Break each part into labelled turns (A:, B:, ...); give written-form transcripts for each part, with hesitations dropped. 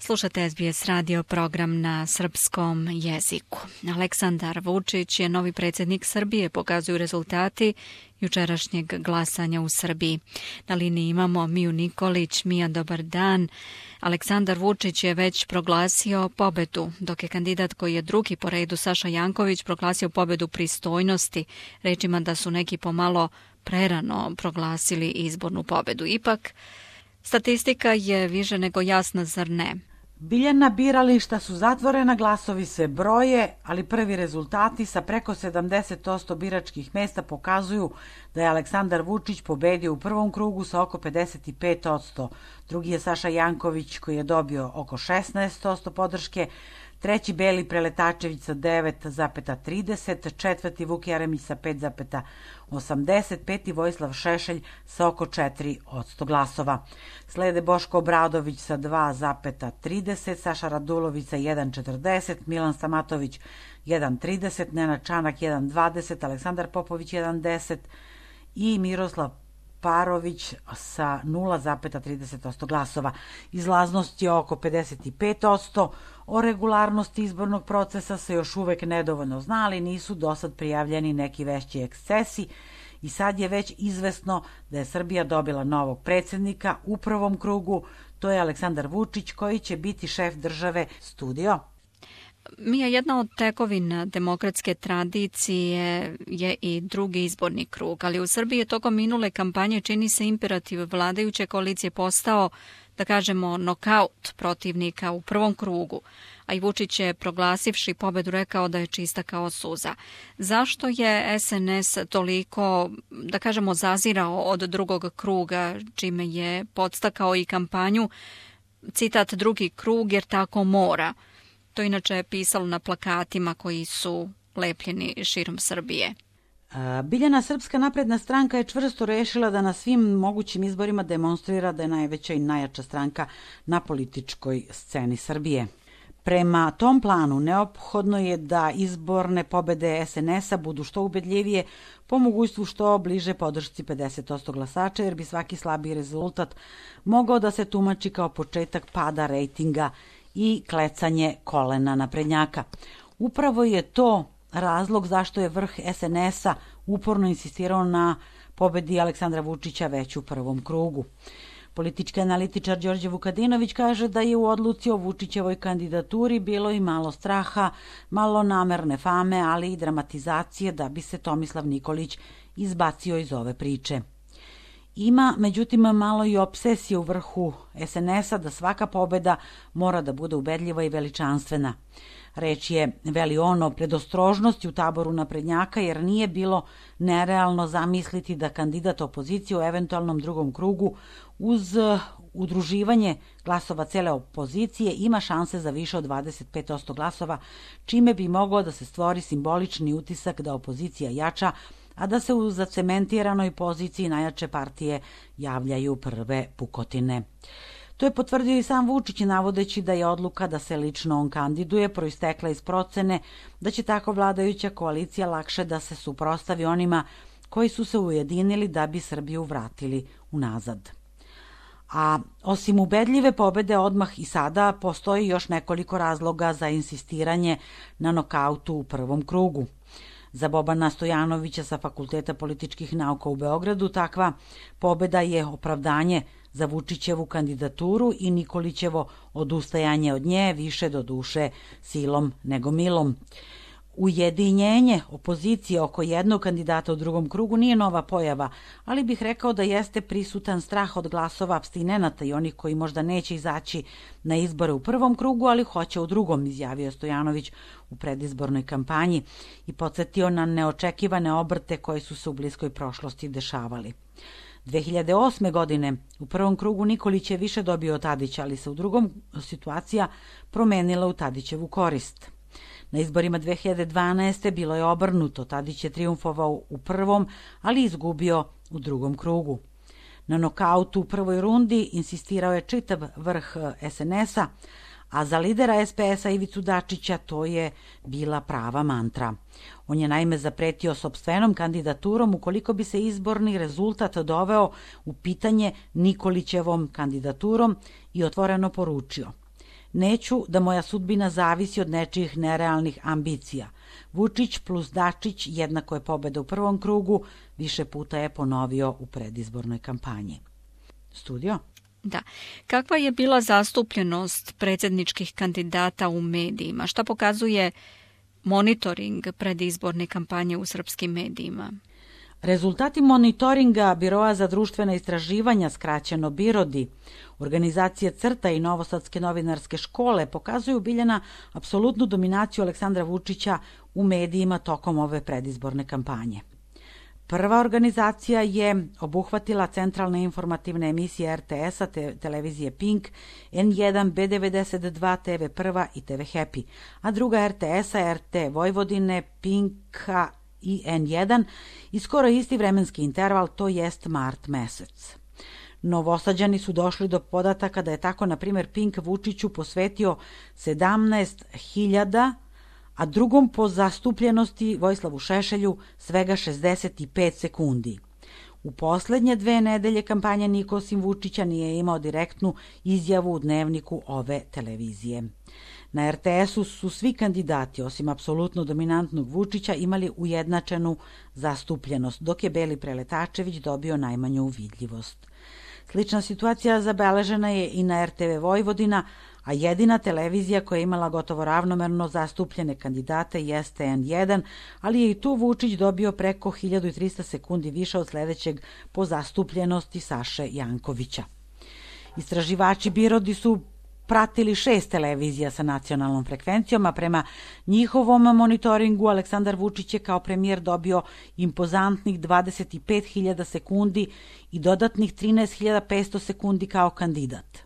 A: Slušate SBS radio program na srpskom jeziku. Aleksandar Vučić je novi predsjednik Srbije, pokazuju rezultati jučerašnjeg glasanja u Srbiji. Na liniji imamo Miju Nikolić. Mija, dobar dan. Aleksandar Vučić je već proglasio pobedu, dok je kandidat koji je drugi po redu, Saša Janković, proglasio pobedu pristojnosti, rečima da su neki pomalo prerano proglasili izbornu pobedu. Ipak, statistika je više nego jasna, zar ne?
B: Biljana, birališta su zatvorena, glasovi se broje, ali prvi rezultati sa preko 70% biračkih mesta pokazuju da je Aleksandar Vučić pobedio u prvom krugu sa oko 55%. Drugi je Saša Janković koji je dobio oko 16% podrške, treći Beli Preletačević sa 9,30, četvrti Vuk Jeremić sa 5,80, peti Vojislav Šešelj sa oko 4% glasova. Slede Boško Obradović sa 2,30, Saša Radulović sa 1,40, Milan Stamatović 1,30, Nenad Čanak 1,20, Aleksandar Popović 1,10 i Miroslav Parović sa 0,30% glasova. Izlaznost je oko 55%. O regularnosti izbornog procesa se još uvek nedovoljno zna, ali nisu dosad prijavljeni neki veći ekscesi i sad je već izvesno da je Srbija dobila novog predsjednika u prvom krugu. To je Aleksandar Vučić koji će biti šef države. Studio.
A: Mija, jedna od tekovina demokratske tradicije je i drugi izborni krug, ali u Srbiji je tokom minule kampanje čini se imperativ vladajuće koalicije postao, da kažemo, nokaut protivnika u prvom krugu, a i Vučić je proglasivši pobedu rekao da je čista kao suza. Zašto je SNS toliko, da kažemo, zazirao od drugog kruga, čime je podstakao i kampanju, citat, drugi krug jer tako mora? To inače je pisalo na plakatima koji su lepljeni širom Srbije.
B: Biljana, Srpska napredna stranka je čvrsto rešila da na svim mogućim izborima demonstrira da je najveća i najjača stranka na političkoj sceni Srbije. Prema tom planu neophodno je da izborne pobede SNS-a budu što ubedljivije, po mogućstvu što bliže podršci 50% glasača, jer bi svaki slabiji rezultat mogao da se tumači kao početak pada rejtinga i klecanje kolena naprednjaka. Upravo je to razlog zašto je vrh SNS-a uporno insistirao na pobedi Aleksandra Vučića već u prvom krugu. Politički analitičar Đorđe Vukadinović kaže da je u odluci o Vučićevoj kandidaturi bilo i malo straha, malo namerne fame, ali i dramatizacije da bi se Tomislav Nikolić izbacio iz ove priče. Ima, međutim, malo i opsesije u vrhu SNS-a da svaka pobeda mora da bude ubedljiva i veličanstvena. Reč je, veli on, o predostrožnosti u taboru naprednjaka, jer nije bilo nerealno zamisliti da kandidat opozicije u eventualnom drugom krugu uz udruživanje glasova cele opozicije ima šanse za više od 25% glasova, čime bi mogao da se stvori simbolični utisak da opozicija jača, a da se u zacementiranoj poziciji najjače partije javljaju prve pukotine. To je potvrdio i sam Vučić, navodeći da je odluka da se lično on kandiduje proistekla iz procene da će tako vladajuća koalicija lakše da se suprotstavi onima koji su se ujedinili da bi Srbiju vratili unazad. A osim ubedljive pobede odmah i sada postoji još nekoliko razloga za insistiranje na nokautu u prvom krugu. Za Bobana Stojanovića sa Fakulteta političkih nauka u Beogradu takva pobeda je opravdanje za Vučićevu kandidaturu i Nikolićevo odustajanje od nje, više do duše silom nego milom. Ujedinjenje opozicije oko jednog kandidata u drugom krugu nije nova pojava, ali bih rekao da jeste prisutan strah od glasova apstinenata i onih koji možda neće izaći na izbore u prvom krugu, ali hoće u drugom, izjavio Stojanović u predizbornoj kampanji i podsjetio na neočekivane obrte koji su se u bliskoj prošlosti dešavali. 2008. godine u prvom krugu Nikolić je više dobio od Tadića, ali se u drugom situacija promenila u Tadićevu korist. Na izborima 2012. bilo je obrnuto, Tadić je trijumfovao u prvom, ali izgubio u drugom krugu. Na nokautu u prvoj rundi insistirao je čitav vrh SNS-a, a za lidera SPS-a Ivicu Dačića to je bila prava mantra. On je naime zapretio sopstvenom kandidaturom ukoliko bi se izborni rezultat doveo u pitanje Nikolićevom kandidaturom i otvoreno poručio: Neću da moja sudbina zavisi od nečijih nerealnih ambicija. Vučić plus Dačić jednako je pobeda u prvom krugu, više puta je ponovio u predizbornoj kampanji. Studio?
A: Da. Kakva je bila zastupljenost predsjedničkih kandidata u medijima? Šta pokazuje monitoring predizborne kampanje u srpskim medijima?
B: Rezultati monitoringa Biroa za društvena istraživanja, skraćeno BIRODI, organizacije CRTA i Novosadske novinarske škole pokazuju Biljana apsolutnu dominaciju Aleksandra Vučića u medijima tokom ove predizborne kampanje. Prva organizacija je obuhvatila centralne informativne emisije RTS-a, televizije Pink, N1, B92, TV Prva i TV Happy, a druga RTS-a, RT Vojvodine, Pinka i N1 i skoro isti vremenski interval, to jest mart mesec. Novosađani su došli do podataka da je tako, na primjer, Pink Vučiću posvetio 17.000, a drugom po zastupljenosti Vojislavu Šešelju svega 65 sekundi. U poslednje 2 nedelje kampanje niko osim Vučića nije imao direktnu izjavu u dnevniku ove televizije. Na RTS-u su svi kandidati, osim apsolutno dominantnog Vučića, imali ujednačenu zastupljenost, dok je Beli Preletačević dobio najmanju vidljivost. Slična situacija zabeležena je i na RTV Vojvodina, a jedina televizija koja je imala gotovo ravnomerno zastupljene kandidate jeste N1, ali je i tu Vučić dobio preko 1300 sekundi više od sledećeg po zastupljenosti Saše Jankovića. Istraživači BIRODI su pratili 6 televizija sa nacionalnom frekvencijom, a prema njihovom monitoringu Aleksandar Vučić je kao premijer dobio impozantnih 25.000 sekundi i dodatnih 13.500 sekundi kao kandidat.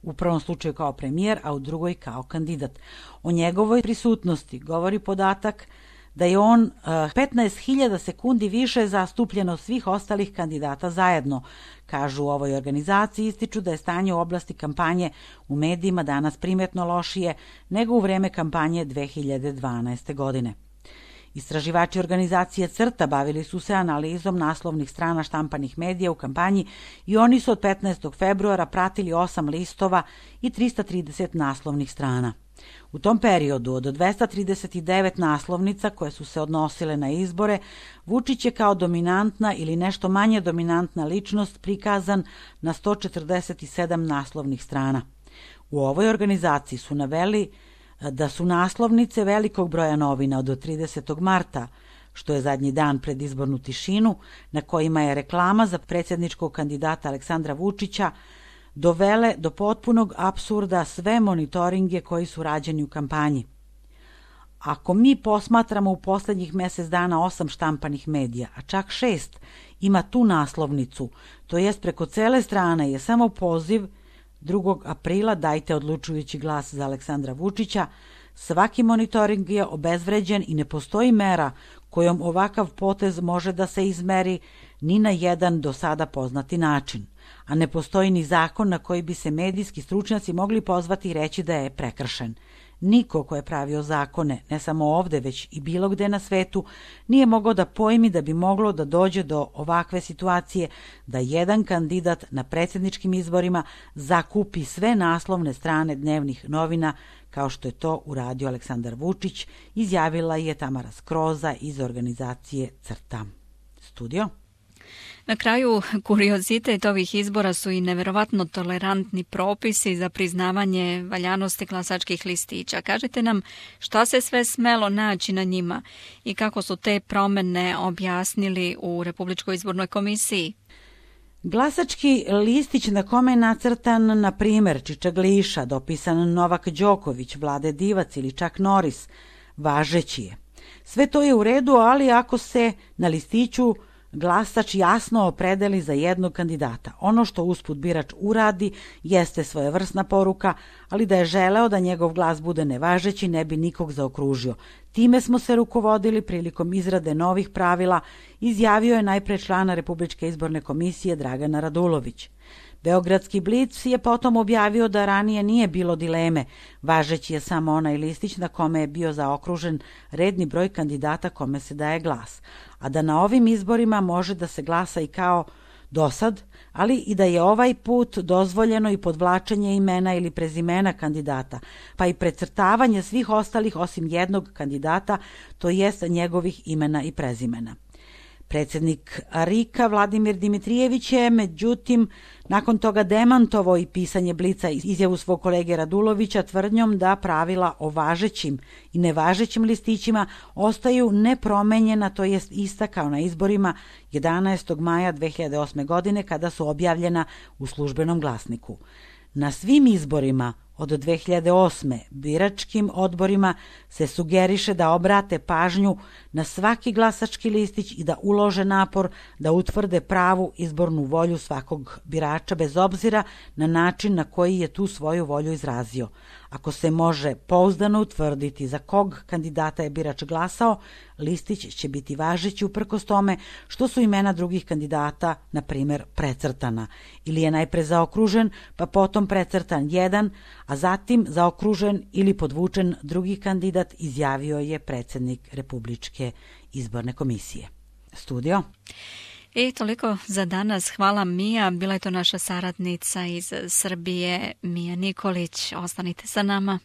B: U prvom slučaju kao premijer, a u drugoj kao kandidat. O njegovoj prisutnosti govori podatak da je on 15.000 sekundi više zastupljen od svih ostalih kandidata zajedno. Kažu u ovoj organizaciji, ističu da je stanje u oblasti kampanje u medijima danas primjetno lošije nego u vreme kampanje 2012. godine. Istraživači organizacije CRTA bavili su se analizom naslovnih strana štampanih medija u kampanji i oni su od 15. februara pratili 8 listova i 330 naslovnih strana. U tom periodu od 239 naslovnica koje su se odnosile na izbore, Vučić je kao dominantna ili nešto manje dominantna ličnost prikazan na 147 naslovnih strana. U ovoj organizaciji su naveli da su naslovnice velikog broja novina od 30. marta, što je zadnji dan pred izbornu tišinu, na kojima je reklama za predsjedničkog kandidata Aleksandra Vučića, dovele do potpunog apsurda sve monitoringe koji su rađeni u kampanji. Ako mi posmatramo u poslednjih mesec dana 8 štampanih medija, a čak 6 ima tu naslovnicu, to jest preko cele strane je samo poziv 2. aprila dajte odlučujući glas za Aleksandra Vučića, svaki monitoring je obezvređen i ne postoji mera kojom ovakav potez može da se izmeri ni na jedan do sada poznati način, a ne postoji ni zakon na koji bi se medijski stručnjaci mogli pozvati i reći da je prekršen. Niko ko je pravio zakone, ne samo ovde, već i bilo gde na svetu, nije mogao da pojmi da bi moglo da dođe do ovakve situacije da jedan kandidat na predsjedničkim izborima zakupi sve naslovne strane dnevnih novina, kao što je to uradio Aleksandar Vučić, izjavila je Tamara Skroza iz organizacije CRTA. Studio?
A: Na kraju, kuriozitet ovih izbora su i neverovatno tolerantni propisi za priznavanje valjanosti glasačkih listića. Kažite nam šta se sve smelo naći na njima i kako su te promene objasnili u Republičkoj izbornoj komisiji.
B: Glasački listić na kome je nacrtan, na primer, Čičagliša, dopisan Novak Đoković, Vlade Divac ili čak Noris, važeći je. Sve to je u redu, ali ako se na listiću glasač jasno opredeli za jednog kandidata. Ono što usput birač uradi jeste svojevrsna poruka, ali da je želeo da njegov glas bude nevažeći ne bi nikog zaokružio. Time smo se rukovodili prilikom izrade novih pravila, izjavio je najpre člana Republičke izborne komisije Dragana Radulović. Beogradski Blic je potom objavio da ranije nije bilo dileme, važeći je samo onaj listić na kome je bio zaokružen redni broj kandidata kome se daje glas, a da na ovim izborima može da se glasa i kao dosad, ali i da je ovaj put dozvoljeno i podvlačenje imena ili prezimena kandidata, pa i precrtavanje svih ostalih osim jednog kandidata, to jest njegovih imena i prezimena. Predsjednik RIK-a Vladimir Dimitrijević je, međutim, nakon toga demantovao i pisanje Blica izjavu svog kolege Radulovića tvrdnjom da pravila o važećim i nevažećim listićima ostaju nepromenjena, to jest ista kao na izborima 11. maja 2008. godine kada su objavljena u službenom glasniku. Na svim izborima od 2008. biračkim odborima se sugeriše da obrate pažnju na svaki glasački listić i da ulože napor da utvrde pravu izbornu volju svakog birača bez obzira na način na koji je tu svoju volju izrazio. Ako se može pouzdano utvrditi za kog kandidata je birač glasao, listić će biti važeći uprkos tome što su imena drugih kandidata, na primjer, precrtana. Ili je najpre zaokružen, pa potom precrtan jedan, a zatim zaokružen ili podvučen drugi kandidat, izjavio je predsjednik Republičke izborne komisije. Studio.
A: I toliko za danas. Hvala Mija. Bila je to naša saradnica iz Srbije, Mija Nikolić. Ostanite sa nama.